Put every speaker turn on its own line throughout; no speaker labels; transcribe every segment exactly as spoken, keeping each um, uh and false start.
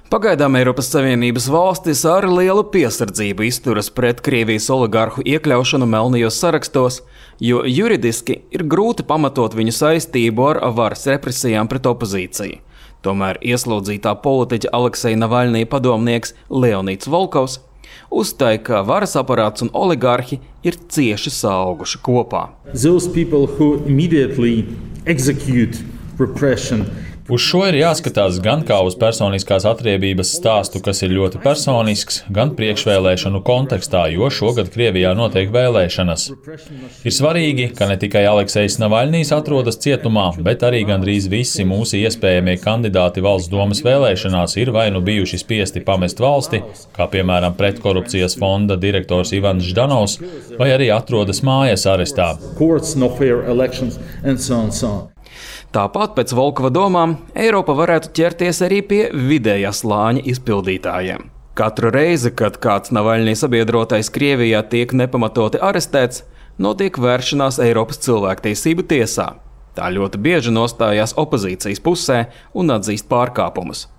Pagaidām Eiropas Savienības valstis ar lielu piesardzību izturas pret Krievijas oligarhu iekļaušanu melnajos sarakstos, jo juridiski ir grūti pamatot viņu saistību ar varas represijām pret opozīciju. Tomēr ieslodzītā politiķa Alekseja Navaļnija padomnieks Leonīds Volkovs uzstāja, ka varas aparāts un oligarhi ir cieši saauguši kopā.
Those people who immediately execute repression.
Uz šo ir jāskatās gan kā uz personiskās atriebības stāstu, kas ir ļoti personisks, gan priekšvēlēšanu kontekstā, jo šogad Krievijā notiek vēlēšanas. Ir svarīgi, ka ne tikai Aleksejs Navaļnijs atrodas cietumā, bet arī gandrīz visi mūsu iespējamie kandidāti valsts domas vēlēšanās ir vai nu bijuši spiesti pamest valsti, kā piemēram pretkorupcijas fonda direktors Ivans Ždanovs, vai arī atrodas mājas arestā.
Tāpat pēc Volkova domām Eiropa varētu ķerties arī pie vidējā slāņa izpildītājiem. Katru reizi, kad kāds Navaļnija sabiedrotais Krievijā tiek nepamatoti arestēts, notiek vēršanās Eiropas cilvēktiesību tiesā. Tā ļoti bieži nostājās opozīcijas pusē un atzīst pārkāpumus.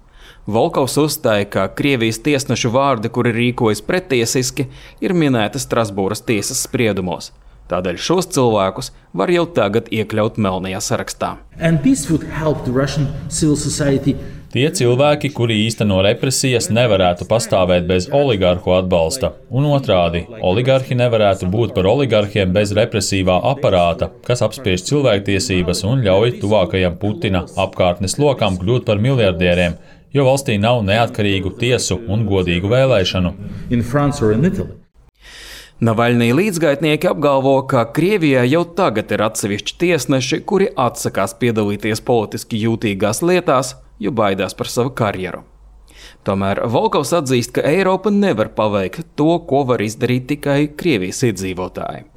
Volkovs uzstāja, ka Krievijas tiesnešu vārdi, kuri rīkojas pretiesiski, ir minēti Strasbūras tiesas spriedumos. Tādēļ šos cilvēkus var jau tagad iekļaut melnajā sarakstā.
Tie cilvēki, kuri īsteno represijas, nevarētu pastāvēt bez oligarhu atbalsta. Un otrādi, oligarhi nevarētu būt par oligarhiem bez represīvā aparāta, kas apspiež cilvēktiesības un ļauj tuvākajam Putina apkārtnes lokam kļūt par miljardieriem, jo valstī nav neatkarīgu tiesu un godīgu vēlēšanu.
Navaļnija līdzgaitnieki apgalvo, ka Krievijā jau tagad ir atsevišķi tiesneši, kuri atsakās piedalīties politiski jūtīgās lietās, jo baidās par savu karjeru. Tomēr Volkovs atzīst, ka Eiropa nevar paveikt to, ko var izdarīt tikai Krievijas iedzīvotāji.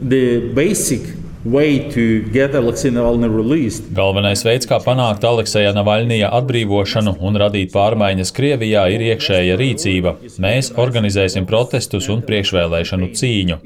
Galvenais veids, kā panākt Alekseja Navaļnija atbrīvošanu un radīt pārmaiņas Krievijā, ir iekšēja rīcība. Mēs organizēsim protestus un priekšvēlēšanu cīņu.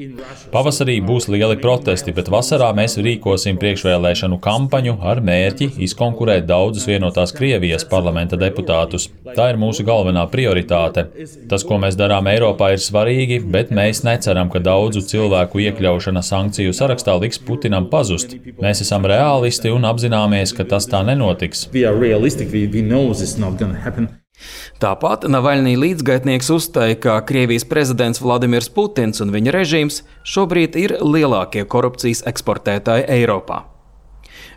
Pavasarī būs lieli protesti, bet vasarā mēs rīkosim priekšvēlēšanu kampaņu ar mērķi izkonkurēt daudzus vienotās Krievijas parlamenta deputātus. Tā ir mūsu galvenā prioritāte. Tas, ko mēs darām Eiropā, ir svarīgi, bet mēs neceram, ka daudzu cilvēku iekļaušana sankciju sarakstā liks Putinam pazust. Mēs esam reālisti un apzināmies, ka tas tā nenotiks.
Tāpat Navaļnija līdzgaitnieks uzstāja, ka Krievijas prezidents Vladimirs Putins un viņa režīms šobrīd ir lielākie korupcijas eksportētāji Eiropā.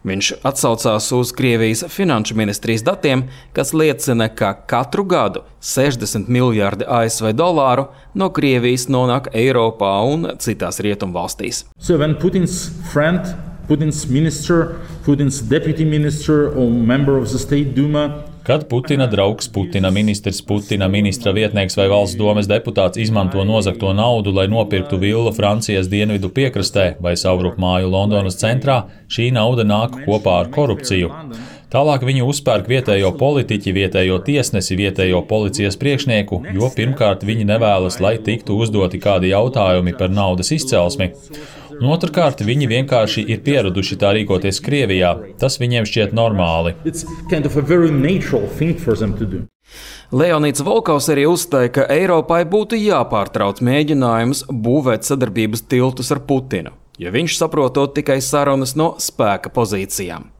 Viņš atsaucās uz Krievijas finanšu ministrijas datiem, kas liecina, ka katru gadu sešdesmit miljārdi A S V dolāru no Krievijas nonāk Eiropā un citās rietumvalstīs.
So when Putin's friend, Putin's minister, Putin's deputy minister or member of the State Duma
Kad Putina draugs, Putina ministrs, Putina ministra vietnieks vai valsts domes deputāts izmanto nozagto naudu, lai nopirktu villu Francijas dienvidu piekrastē vai savrup māju Londonas centrā, šī nauda nāk kopā ar korupciju. Tālāk viņi uzpērk vietējo politiķi, vietējo tiesnesi, vietējo policijas priekšnieku, jo pirmkārt viņi nevēlas, lai tiktu uzdoti kādi jautājumi par naudas izcelsmi. Un otrkārt, viņi vienkārši ir pieraduši tā rīkoties Krievijā. Tas viņiem šķiet normāli.
Kind of
Leonīds Volkovs arī uzstāja, ka Eiropai būtu jāpārtrauc mēģinājums būvēt sadarbības tiltus ar Putinu, jo viņš saprotot tikai sarunas no spēka pozīcijām.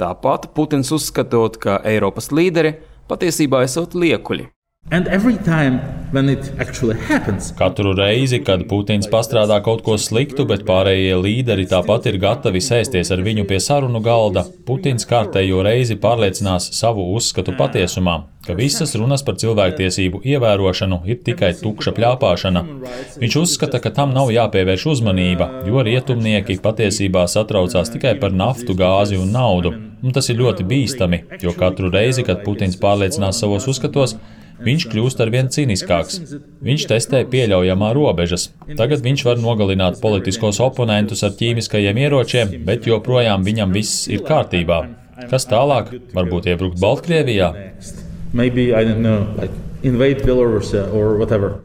Tāpat Putins uzskatot, ka Eiropas līderi patiesībā esot liekuļi.
Happens,
Katru reizi, kad Putins pastrādā kaut ko sliktu, bet pārējie līderi tāpat ir gatavi sēsties ar viņu pie sarunu galda, Putins kārtējo reizi pārliecinās savu uzskatu patiesumā, ka visas runas par cilvēktiesību ievērošanu ir tikai tukša pļāpāšana. Viņš uzskata, ka tam nav jāpievērš uzmanība, jo rietumnieki patiesībā satraucās tikai par naftu, gāzi un naudu. Un tas ir ļoti bīstami, jo katru reizi, kad Putins pārliecinās savos uzskatos, viņš kļūst arvien cīniskāks. Viņš testē pieļaujamā robežas. Tagad viņš var nogalināt politiskos oponentus ar ķīmiskajiem ieročiem, bet joprojām viņam viss ir kārtībā. Kas tālāk? Varbūt iebrukt Baltkrievijā?
Maybe, I don't know, like invade Belarus or whatever.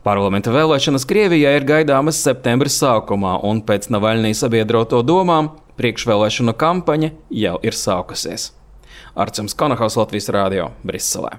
Parlamenta vēlēšanas Krievijā ir gaidāmas septembra sākumā, un pēc Navaļnija sabiedroto domām priekšvēlēšanu kampaņa jau ir sākusies. Arcums Konahaus, Latvijas Rādio, Briselē.